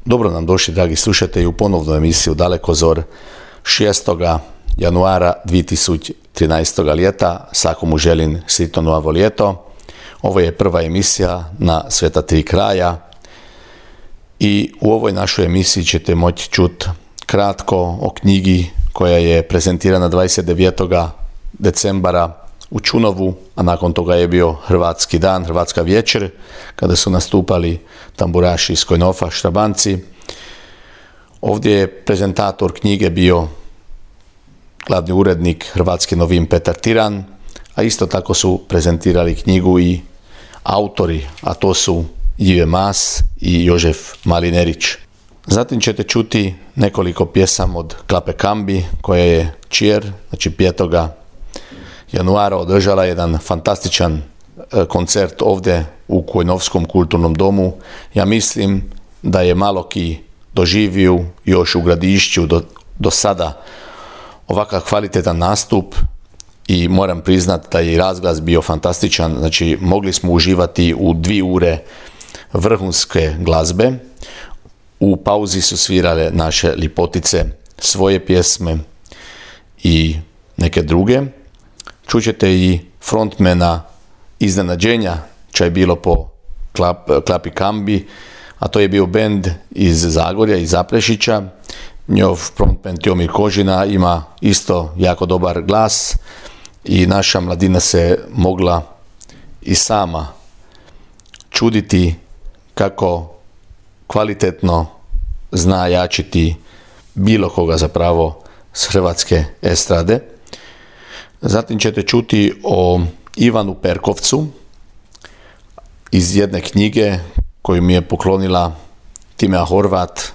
Dobro nam došli, dragi slušatelji, u ponovnu emisiju Dalekozor 6. januara 2013. ljeta. Svakomu želim sretno novo ljeto. Ovo je prva emisija na Sveta tri kraja i u ovoj našoj emisiji ćete moći čuti kratko o knjigi koja je prezentirana 29. decembara u Čunovu, a nakon toga je bio Hrvatski dan, Hrvatska večer, kada su nastupali tamburaši iz Kojnofa, Štrabanci. Ovdje je prezentator knjige bio glavni urednik Hrvatski novin Petar Tiran, a isto tako su prezentirali knjigu i autori, a to su Ive Mas i Jožef Malinerić. Zatim ćete čuti nekoliko pjesama od Klape Kambi, koja je Čier, znači 5. januara održala jedan fantastičan koncert ovdje u Kojnovskom kulturnom domu. Ja mislim da je malo ki doživio još u Gradišću do sada ovakav kvalitetan nastup i moram priznati da je i razglas bio fantastičan. Znači mogli smo uživati u 2 ure vrhunske glazbe. U pauzi su svirale naše lipotice svoje pjesme i neke druge. Čućete i frontmena iznenađenja čo je bilo po Klapi Kambi, a to je bio bend iz Zagorja, iz Zaprešića. Njov frontman Tjomir Kožina ima isto jako dobar glas i naša mladina se mogla i sama čuditi kako kvalitetno zna jačiti bilo koga zapravo s hrvatske estrade. Zatim ćete čuti o Ivanu Perkovcu iz jedne knjige koju mi je poklonila Timea Horvat,